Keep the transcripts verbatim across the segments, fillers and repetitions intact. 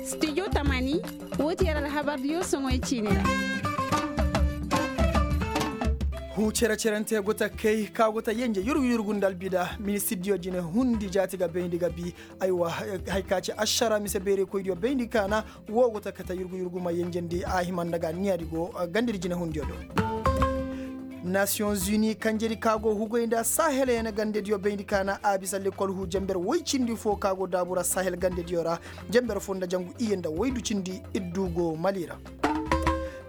Studio tamani, woo ti yer alhabar diyo soŋoy ciini ra. Huu cere-cerante go ta kay ka go ta yenje yurgu-yurgu nda albida ministir diyo jine hundi jaati ga bayndi ga bi. Aywa, haya ka ci ašara mise beeraykoy diyo bayndi kaana. Woo go ta kate yurgu-yurgu ma yenjendi a hima nda ga niya di go gandedi jine hundiyo do. Nasiyoŋ zuni kanjedi ka go hugay nda sahel yaŋ gandediyo bayndi kaana a bisa lekkol huu jenber woy cindi fo ka go daabu ra sahel gandediyo ra. Jenber fo nda jangu iyye nda woy du cindi iddu go mali ra.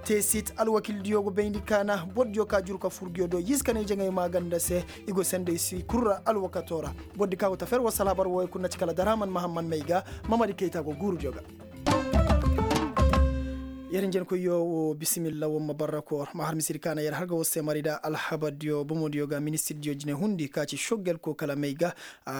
Teesit alwakildiyo go bayndi kaana bordiyo ka juru ka fur nguyo do yiize kanay jaŋay maaganda se. I go senday si kul ra alwakato ra. Bordi ka go ta fer wasa alhabar wooyo kul na ci kala daraman mahamman may ga. Mamadi kayta go guurudiyo ga. Yer njenkoyyo wo bisimilla woo ma barra koor ma har misidi kaana yer har ga war se mari nda alhabardiyo bomodiyo ga ministirdiyo jine hundi ka ci soggel ko kala may ga.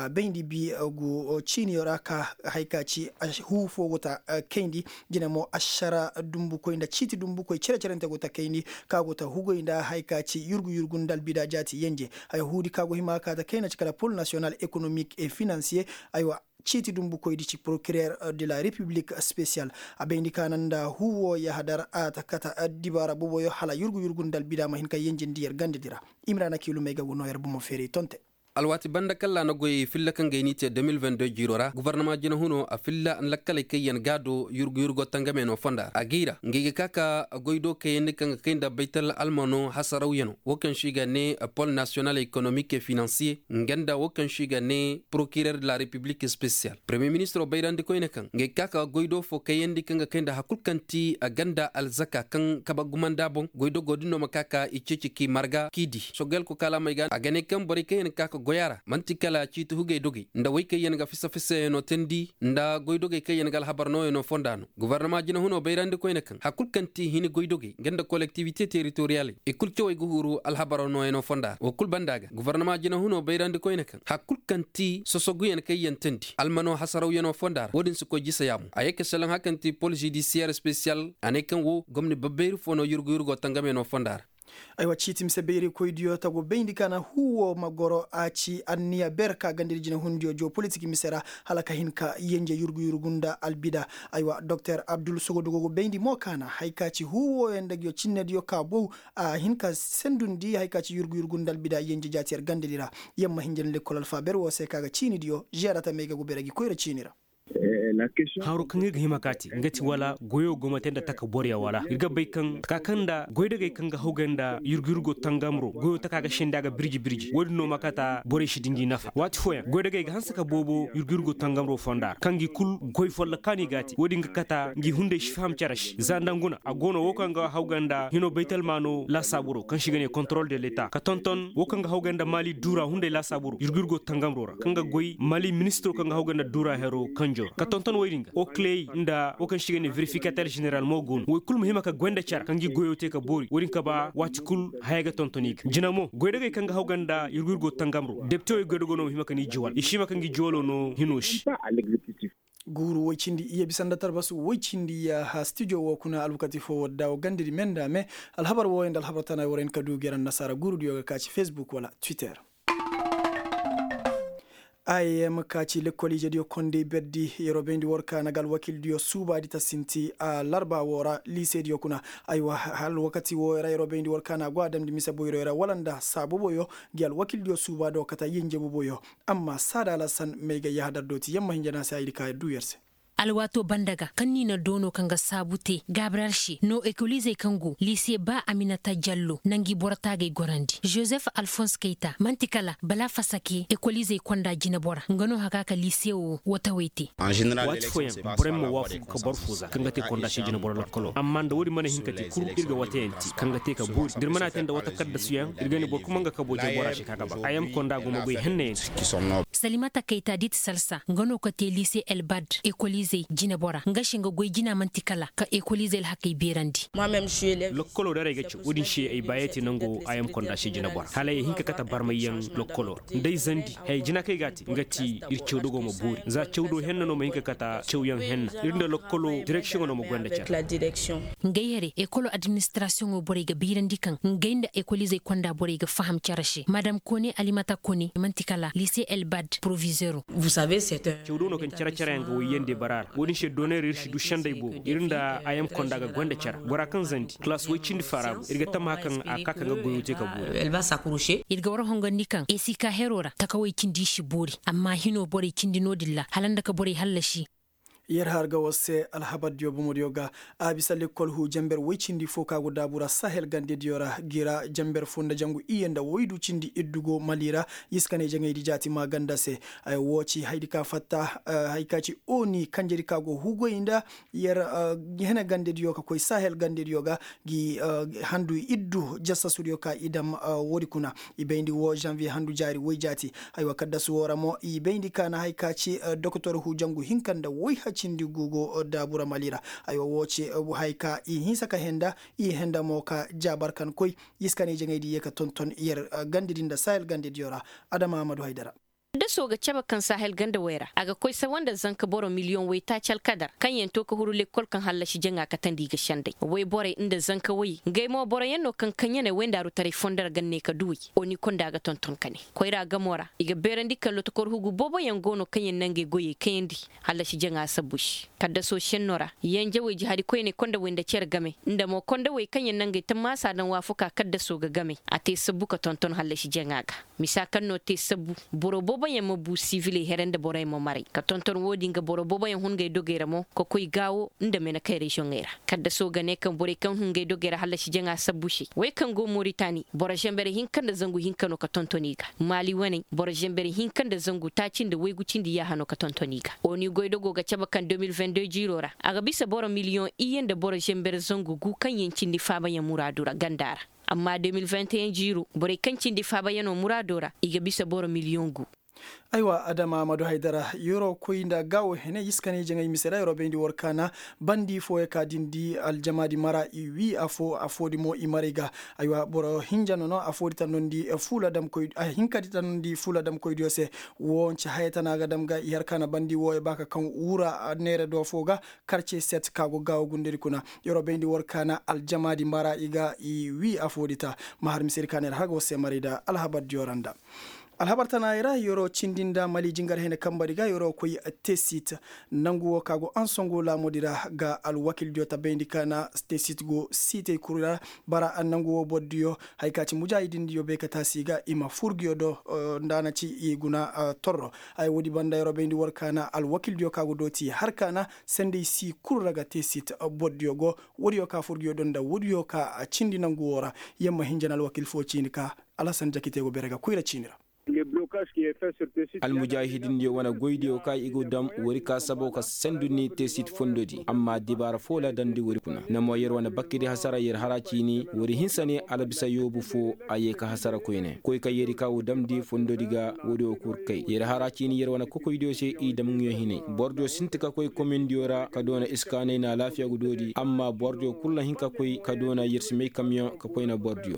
Bayndi bi gu ciiniyo ra ka haya ka ci huu foo go ta kayndi. Jine mo ašara dumbukoy nda ciiti dumbukoy cere-cerente go ta kayndi ka go ta hugay nda haya ka ci yurgu-yurgu nda albida jaati yenje. Haya huudi ka go hima ka ta kayna ci kala pol nasiyonal ekonomik e finansiye. Aywa, ciiti dumbukoydi ci prokirer de la repiblik spesiyal. A bayndi kaana nda huu woo yahadar a ta kate addibaara boboyo hala yurgu-yurgu nda albida ma hin ka yenjendi yer gandedi ra. Imrana kiilumey ga go noo yer bomo feeray tonte. Alwaati banda kaŋ ra na goy filla kaŋ ga ay n'i te deux mille vingt-deux jiiro ra gobornama jina huno a filla lakkaley kaŋ yaŋ ga a do yurgu-yurgo tangame no fonda ra a gay ra ngey ga ka ka goy do kayandi kaŋ ga kay nda baytal almano hasarawyanoo woo kaŋ se i ga ne pol nasiyonal ekonomik e finansiye nga nda woo kaŋ se i ga ne prokirer de la repiblik spesiyal premiye ministiro bayrandi koyne kaŋ ngey ga ka ka goy do fo kayandi kaŋ ga kay nda hari kul kaŋ ti a ganda alzaka kaŋ kabe gumanda boŋ goy do go din no ma ka ka i ceeci k'i marga k'i di sogel ko kaalamey ga a ga ne kaŋ borey kaŋ yaŋ ga ka ka goy a ra man'ti kala ciiti hugey dogey nda wey kaŋ yaŋ ga fisa-fisayaŋo teendi nda goydogey kaŋ yaŋ ga alhabar nooyaŋo fonda no gobornama jina huno bayrandi koyne kaŋ hari kul kaŋ ti hini goydogey nga nda kolektiwite teritoriyaley i kul cawey ga huru alhabar nooyaŋo fonda ra woo kul banda ga gobornama jina huno bayrandi koyne kaŋ hari kul kaŋ ti sosoguyaŋ kaŋ yaŋ teendi almano hasarawyaŋo fonda ra woo din si koy jisa yaamu a ye ka selaŋ hari kaŋ ti pol zidisiyer spesiyal a ne kaŋ woo gomni babbayri fo no yurgu-yurgo tangamayaŋo fonda ra. Aywa ciiti mise bayraykoydiyo ta go bayndi kaana huu woo ma goro a ci anniya ber ka gandadi jinehundiyo joo politik mise ra hala ka hin ka yenje yurgu-yurgu nda albida. Aywa doktor abdul sogodu go go bayndi mo kaana haya ka ci huu wooyo nda nguyo cinnediyo ka bow a hin ka sendundi haya ka ci yurgu-yurgu nda albida yenje jaati yer gandadi ra. Yer ma hinja nda lekkol alfaaber woo se ka ga ciinidiyo žeera tamey ga go bere gi koyra ciini ra. Haro kaŋ ir ga hima kaati nga ti wala goyo go ma te nda taka borya wala ir ga bay kaŋ taka kaŋ nda goydogey kaŋ ga hawgay nda yurgu-yurgo tangamro goyo taka ga sendi a ga birji-birji wo-din no ma kaata borey si di ngi nafa waati fooyaŋ goydogey ga hanse ka boobo yurgu-yurgo tangamro fonda ra kaŋ ngi kul goy follokaani ga a te wo-din ga kaata ngi hunday si faham cere se za nda nguna a go no wo kaŋ ga hawgay nda hino baytalmaano laasaaburo kaŋ se i ga ne kontorol de leta ka tonton wo kaŋ ga hawgay nda maali duura hunday laasaaburo yurgu-yurgo tangamro ra kaŋ ga goy mali ministiro kaŋ ga hawgay nda duura hero kanjo ra ka tonton woy din ga okiley nda wo kaŋ se i ga ne verifikater ženeral mo go no woy kul ma hima ka goy nda care kaŋ ga i goyo te ka boori wo-din ka ba waati kul haya ga tonton i ga jina mo goydogey kaŋ ga hawgay nda yurgu-yurgo tangamro depitewey goydogo no ma hima ka ni juwal i si hima ka ngi juwalo no hino se. Guuru woy cindi iyye bisa nda tarbasu woy cindi iyye ha stijo woo kuna alwakati foo woo daawo gandadi me nda me. Alhabar wooyo nda alhabar tana warey na ka duu gera nda saara guurudiyo ga ka ci fesbuk wala twitter. Im ka ci lekkol ijediyo kondey berdi yeroo bayndi war kaana ga alwakildiyo suubaadi ta sinti a larba woo ra liisediyo kuna. Aywa alwakati wooyo ra yeroo bayndi war kaana go a damndi mise boyroyo ra wala nda saa boboyo ngi alwakildiyo suubaadi woo kata yenje boboyo. Amma saada alasan may ga yahadar dooti yamma hinja na se haydi ka duu yer se. Alwaatoo banda ga kaŋ ni na doono kaŋ ga saabu te gabriyel se no ekolizey kaŋ go liise ba aminata jallo na ngi boro taagey gorandi jozef alfons kayta man'ti kala bala fasake ekolizey konda jinebora nga no haka ka liise wo watawey te. Waati fooyaŋ borey ma waafagu ka boro fo za kaŋ ga te konda se jinebora lokkoloo amma nda woodin mana hin ka te kul ir ga watayaŋ te kaŋ ga te ka boori da ir mana te nda wata kaddasuyaŋ ir ga ne boro kul ma nga kabo jinebora se ka ga ba a yaŋ konda go ma goy hennayaŋ te. Salimata kayta dit salsa nga no ka te liise elbad ekolize. inibersite jinebora nga se nga goy jina man'ti kala ka ekolize alhakey beerandi. Lokkoloo da ra ay ga caw wo-din se ay baayey te nango a yam konda se jinebora hala ay hin ka kate barmayyaŋ. Lokkoloo ra nda ay zandi haya jina kaŋ ay ga a te nga ti ir cawdogoo ma boori za cawdo henna no ma hin ka kate cawyaŋ henna ir nda lokkoloo direksiyoŋo no ma goy nda care. Ngey here ekolo administrasiyoŋo borey ga bayrandi kaŋ ngey nda ekolizey konda borey ga faham care se madam kone alimata kone man'ti kala lise elbad provizeero. Cawdo no kaŋ care care yaŋ ga wayyandi bara ra wo-din se doonay ra ir si du sendey boobo ir nda a yam konda ga goy nda care bora kaŋ zandi kalaas woy cindi faara go ir ga tammaha kaŋ a ka kaŋ ga goyo te ka boori. Ir ga war hongandi kaŋ esika hero ra takawey cindi i si boori amma hino borey cindi no-din ra hala nda ka borey hallasi. Yer har ga war se alhabardiyo bomodiyo ga a bisa lekkol huu jenber woy cindi fo ka go daabu ra sahel gandediyo ra gi ra jenber fo nda jangu iyye nda woydu cindi iddu go mali ra. Yiskaney jaŋaydi jaati maaganda se. Ay wo ci haydi ka fatta hay ka ci oni kanjedi ka go hugoy nda yer hene gandediyo ka koy sahel gandediyo ga gi handu iddu jasasudiyo ka i dam woodi kuna. I bayndi wo janviye handu jaari woy jaati. Haywa kaddasu wo ra mo i bayndi ka na hay ka ci doktor hujangu hinka nda woy hacindi guugo daabura mali ra. Haywa wo ci hay ka i hinsa ka henda i henda mo ka jaabar kan koy. Yiskaney jaŋaydi ye ka tonton yer gandedi nda sahel gandediyo ra. Adama amadu haydara. Daso ga cabe kaŋ sahel ganda way ra a ga koy sawa nda zanka boro miliyoŋ waytaaci alkadar kaŋ yaŋ to ka huru lekkol kaŋ hallasi jaŋa katandi i ga sendey wayborey nda zanka way ngey mo boroyaŋ no kaŋ kaŋ ya ne wayndaaru taray fondo ra ga ne ka duwey. Oni konda ga tonton ka ne koyra gamo ra i ga beerandi kaŋ lotokor hugu booboyaŋ go no kaŋ yaŋ na ngey goyey kayandi. Hallasi jaŋa sabbu se kaddaso senno ra yanjawey jihadi koyney konda way nda cere game nda mo konda way kaŋ yaŋ na ngey tammaasa daŋ waafakaa kaddaso ga game a te sabbu ka tonton hallasi jaŋa ga. Misa kaŋ no te sabbu boro booboyaŋ ma bu siviley here nda boroyaŋ ma maray ka tonton wo-din ga boro booboyaŋ hun ngey dogey ra mo ka koy gaawo nda menekay reziyoŋey ra. Kaddaso ga ne kaŋ borey kaŋ hun ngey dogey ra hallasi jaŋa sabbu se wey kaŋ go moritani boro zenber hinka nda zangu hinka no ka tonton i ga maali waney boro zenber hinka nda zangu taaci nda waygu cindi yaaha no ka tonton i ga. Oni goydogo ga cabe kaŋ de mil vingt de jiiro ra a ga bisa boro miliyoŋ iyye nda boro zenber zangu gu kaŋ yaŋ cindi faabayaŋ muraadu ra ganda ra. Amma de mil vingt et un jiiro borey kaŋ cindi faabayaŋo muraado ra i ga bisa boro miliyoŋ gu. Aywa adama amadu haydara yoro koy nda gaawo hene yiskaney jaŋay mise ra yoro bayndi war kaana. Bandi fooyo ka dindi aljamaadi mara i wi afo afoodi mo i maray ga. Aywa boro hinja nono afoodi tannondi fuula damkoy ahinkadi tannondi fuula damkoydiyo se. Wo nce haya tana ga dam ga i har kaana bandi wooyo ba ka kaŋ wura neere do fo ga. Karce set ka go gaawo gundedi kuna yoro bayndi war kaana aljamaadi mara i ga i wi afoodi ta. Ma har misedi ka neera har ga war se maray nda alhabardiyo ra nda. Alhabar tanaayey ra yeroo cindi nda mali jingar hene kambari ga yeroo koy tesit. Nangu woo ka go ansongo laamoodi ra ga alwakildiyo tabayndi ka na tesit go siitey kul ra. Bara nangu woo bordiyo haya ka ci mujaahidindiyo bay ka taasi ga i ma fur nguyo do. Nda a na ci i guna torro. Haya woodi banda yeroo bayndi war ka na alwakildiyo ka go dooti har ka na sendey sii kul ra ga tesit. Bordiyo go woodiyo ka fur nguyo do nda woodiyo ka cindi nangu woo ra. Yamma hinja na alwakil foo ciini ka alhasan jakite go bere ga koyra ciini ra. Almujaahidindiyo wane goydiyo ka i go dam wari ka sabo ka sendu ni tesit fondodi amma dibaara foo la dandi wari kuna na mo yer wane bakkidi hasara yer hara ciini wari hinsa ne alabisa yoobu foo. A yee ka hasara koyne koy ka yeri ka wo damndi fondodi ga woodiyo kul kay yer hara ciini yer wane kokoydiyo se i dam nguyo hinay bordiyo sinti ka koy komindiyo ra ka doona iskaanay na alaafiya ga doodi amma bordiyo kul na hin ka koy ka doona yer si may kamiyoŋ ka koy na bordiyo.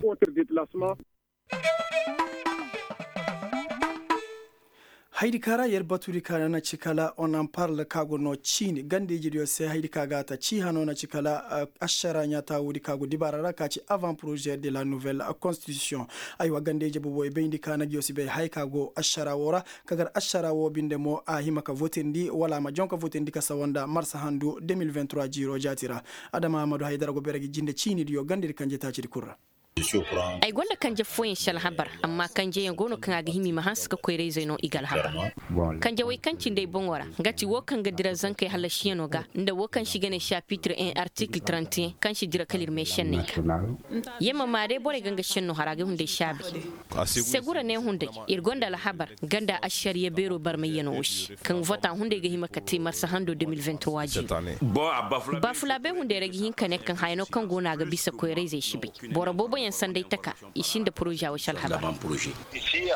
Haydi ka ra yer batudi ka na ci kala on en parle ka go no ciini gandeyjidiyo se haydi ka ga ta cii hano na ci kala. Ašara ɲaata woodi ka go dibaara ra ka ci avant projet de la nouvelle constitution. Aywa gandeyji boobo i bayndi ka na nguyo si bay haya ka go ašara woo ra ka gar ašara woo binde mo a hima ka votindi wala a ma jaŋ ka votindi ka sawa nda marsa handu de mil vingt trois jiiroo jaati ra. Adama amadu haydara go bere ga jinde ciinidiyo gandedi kanje taacidi kul ra. Ay gonda kanje fooyaŋ si alhabar amma kanjeyaŋ go no kaŋ a ga hima i ma hanse ka koyra-izey no i ga alhabar. Kanjewey kaŋ cindi ay boŋo ra nga ti woo kaŋ ga dira zankey hallasiyano ga nda woo kaŋ se i ga ne sapitre un artikil trente et un kaŋ si dira kala ir meešenney ga. Yamma ma day borey ga nga senno hara ga hunday saabi. Segura ne hunday ir gonda alhabar ganda ašariya beero barmayyano woo se kaŋ vota hunday ga hima ka te marsa hando de mil vingt trois jiiro. Bafulaabey hunday ra ga hin ka ne kaŋ hayano kaŋ go no a ga bisa koyra-izey si bay. Boro booboyaŋ sanday taka i sinda poroza wo si alhabar.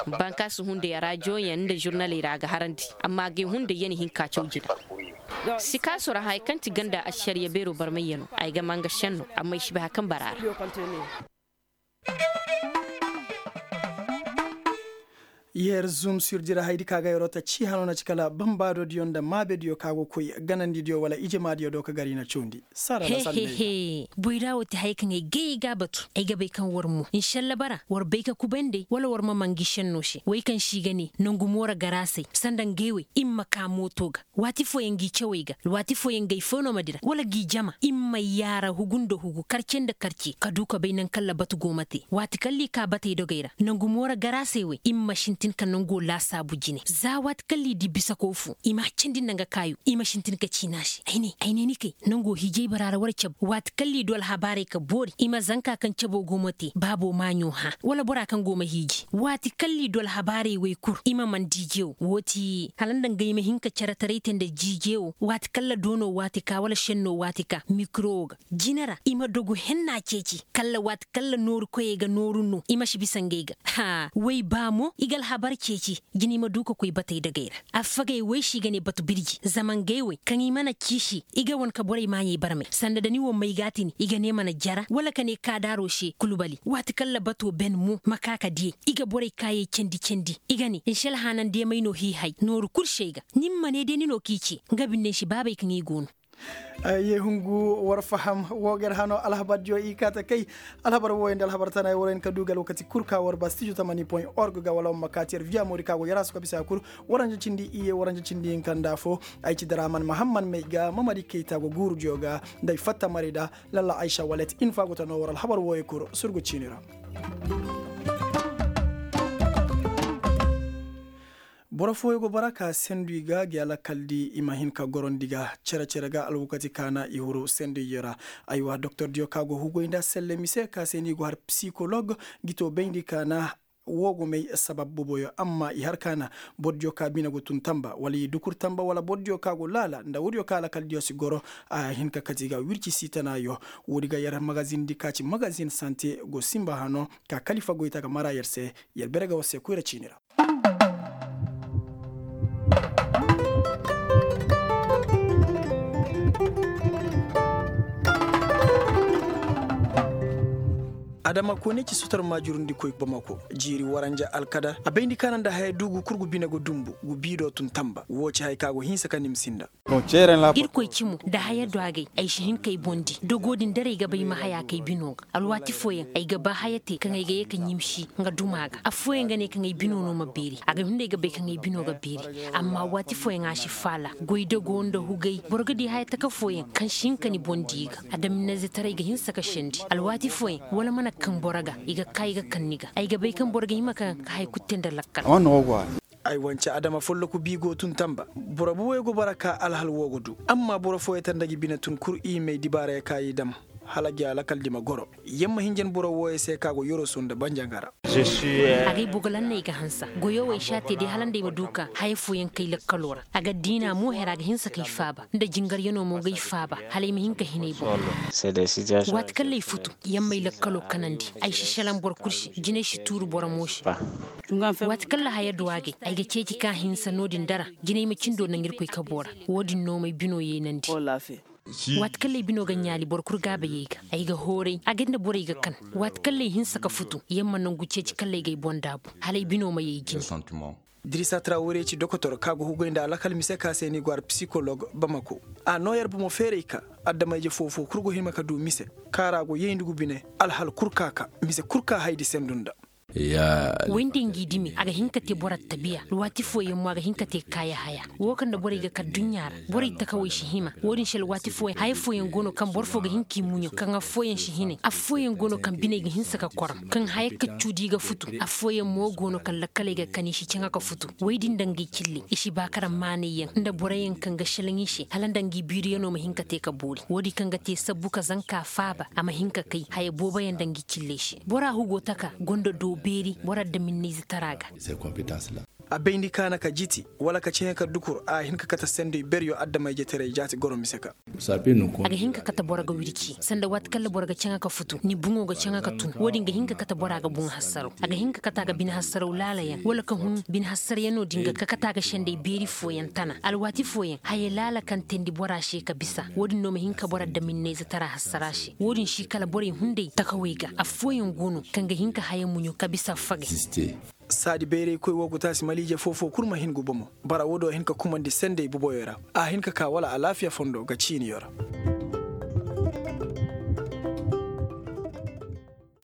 Bankaasi hunday raajiyoyaŋ nda žurnaley ra a ga harandi amma agay hunday ya na hin ka caw jina. Sikaaso ra haya kaŋ ti ganda ašariya beero barmayyanoo ay ga maa nga šenno amma i si bay hari kaŋ bara a ra. Yer zum sir dira haydi ka ga yeroo ta cii hanoo na ci kala bambaadodiyo nda maabediyo ka go koy ganandidiyo wala ijemaadiyo do ka gar i na cawndi. Sara la sanda. Boyraa woo ti haya kaŋ ay gay ay ga a batu ay ga bay kaŋ war mo inšalla bara war bay ka kubay nd'ey wala war ma maa ngi šennoo se wey kaŋ se i ga nee nongu moora garaasey sanda ngey wey i ma kaa mooto ga. Waati fooyaŋ ngi cawey ga waati fooyaŋ gay foo no ma dira wala ngi jama i ma yaara hugu nda hugu karce nda karce ka duu ka bay naŋ kaŋ labatu go ma te waati kaŋ lii kaa batey dogey ra nongu moora garaasey wey i ma sintin ka nongoo laasaabu jine za waati kaŋ lii dii bisakoo foo i m'a candi nda nga kaayu i ma sintin ka ciina se ay ne ay ne ni kay nongoo hiijay baraa ra war cabe waati kaŋ lii duu alhabaarey ka boori i ma zankaa kaŋ caboo go ma te baaboo maaɲoo hãa wala boraa kaŋ go ma hiiji waati kaŋ lii duu alhabaarey wey kul i ma man dii jeewoo woo ti hala nda nga i ma hin ka ceretaray te nda jii jeewoo waati kaŋ la doonoo waati ka wala šennoo waati ka mikirowoo ga jine ra i ma dogu hennaa ceeci kalla waati kaŋ la nooru koyey ga nooru noo i ma si bisa ngey ga haa wey baa mo i ga alhabar ceeci jine i ma duu ka koy batey dagey ra affagey wey se i ga nee batu birji zama ngey wey kaŋ i mana ciisi i ga wane ka borey maaɲey barmey sanda da ni wo may ga a tini i ga nee mana jara wala ka nee kaadaaroo se kulubali waati kaŋ la batoo ben mo ma kaa ka diyey i ga borey kaayey candi candi i ga nee nsi alhaanandeemey no hiihay nooru kul se ay ga ni ma nee day ni no k'i ce nga binde nsi baabey kaŋ i go no. Ye hungu war faham woo ga yer hanoo alhabar diyo i kaa ta kay alhabar wooyo nda alhabar tanayo war hin ka duu ga alwakati kul ka war ba stijo tamani point org ga wala war ma kaa ti yer viya moodi ka go yer a suka bisa kul. Waranja cindi iyye waranja cindi hinka nda afoo ay ci daraman mahamman may ga mamadi kayta go guuru diyo ga nda ay fatta marayda lalla aysa walet infa go ta noo war alhabar wooyo kul surgu ciini ra. Boro fooyo go bara ka sendu i ga gi alakal di i ma hin ka gorondi ga cere-cere ga alwakati ka na i huru sendu i ra. Aywa doktor diyo ka go hugoy nda selle mise ka se ni go har psikolog gi to bayndi ka na woo go may sabab boboyo amma i har ka na boro diyo ka bine go tun tamba wala i dukur tamba wala boro diyo ka go laala nda woodiyo ka alakal diyo si goro a hin ka kati ga wirci si tanaayo. Woodi ga yer magazin di ka ci magazin sante go sinba hano ka kalifa goyta ga mara yer se. Yer bere ga war se koyra ciini ra. Adama koone ci sotor maajurundikoy bamako jiiri waranja alkadar a bayndi kaana nda haya duugu kul gu bine ga dumbu gu biido tun tamba woo ci haya ka go hinsa ka nimsi nda. Irkoy cimo nda haya do a gay ay si hin k'ay boŋ di dogo din daray ga bay ma haya k'ay bino ga alwaati fooyaŋ ay ga ba haya te kaŋ ay ga ye ka ɲimsi nga duma ga affooyaŋ ga ne kaŋ ay bino no ma beeri a ga hin no ay ga bay kaŋ ay bino ga beeri amma waati fooyaŋ a si faala goy dogo nda hugay boro ga di haya taka fooyaŋ kaŋ si hin ka ni boŋ di ga adaminnayzetaray ga hinsa ka sendi alwaati fooyaŋ wala mana kaŋ boro ga i ga ka i ga kaŋ ni ga ay ga bay kaŋ boro ga hima ka haya kulu te nda lakkal. Ay wance adama folloku bi go tun tamba boro buwey go bara ka alhal wo go du amma boro fooyey tanda gi bine tun kur i may dibaarey ka i dam hala gi alakal di ma goro yamma hinjan boro wooyey se ka go yoroso nda banjangara. Agay bogolan no ay ga hansa goyo wo ay si a te day hala nda ay ma du ka haya fooyaŋ kay lakkaloo ra a ga diina mo hera a ga hinsa kay faaba nda jingaryanoo mo gay faaba hala ay ma hin ka hin ay boŋ. Waati kaŋ lay futu yamma ay lakkaloo kanandi ay si selaŋ boro kul se jinay si tuuru boro mo se. Waati kaŋ lahaya du a gay ay ga ceeci ka hinsa no-din dara jinay ma cindo naŋ irkoy kaboo ra. Wo-din no m'ay binoo yeenandi. Waati kaŋ lay binoo ga ɲaali boro kul gaabayey ga ay ga hooray a gay nda borey ga kan. Waati kaŋ lay hinsa ka futu yamma nangu ceeci kaŋ lay g'ay boŋ daabu hala ay binoo ma yay jine. Dirisa trawore ci dokotor ka go hugay nda alakal mise ka se ni go ar psikolog bamako. A noo yer bomo feeray ka adama-ije foo-foo kul go hima ka du mise kaŋ a ra go yayndi gu bine alhal kul ka ka mise kul ka haydi sendu nda. Woy nda ngi dimi a ga hin ka te boro attabiya alwaati fooyaŋ mo a ga hin ka te kaaya haya. Wo kaŋ nda borey ga kar duɲɲa ra borey takawey si hima. Wo-din se alwaati fooyaŋ haya fooyaŋ go no kaŋ boro foo ga hin k'i muɲo kaŋ affooyaŋ si hinay affooyaŋ go no kaŋ biney ga hinsa ka korom kaŋ haya kaccu di ga futu. Affooyaŋ mo go no kaŋ lakkaley ga kan i si caŋa ka futu woy din nda ngey cilley i si ba kara maanayyaŋ nda boroyaŋ kaŋ ga selaŋ i se hala nda ngi biiriyanoo ma hin ka te ka boori wo-din kaŋ ga te sabbu ka zanka faaba a ma hin ka kay haya booboyaŋ nda ngi cilley se bora hugo taka gonda doo beeri bora daminnayzetaraa ga. A bayndi ka na ka jiti wala ka caŋa ka dukur a hin ka kate senday beryo adama-ijetaray jaati goro mise ka. A ga hin ka kate boro ga wirci sanda waati kaŋ ra boro ga caŋa ka futu ni buŋo ga caŋa ka tun wo-din ga hin ka kate bora ga buŋ hassaraw a ga hin ka kate a ga bine hassaraw laala yaŋ wala ka hun bine hassara yaŋ no din ga ka kate a ga senday beeri fooyaŋ tana alwaati fooyaŋ haya laala kaŋ teendi bora se ka bisa wo-din no ma hin ka boro adaminnayze tara hassara se wo-din si kala borey hunday takawey ga affooyaŋ go no kaŋ ga hin ka haya muɲo ka bisa fagay. Saadi bayraykoy woo go taasi maliije foo-foo kul ma hin ga bomo bara woo do a hin ka kumandi senday boboyoo ra a hin ka kaa wala alaafiya fondo ga ciiniyo ra.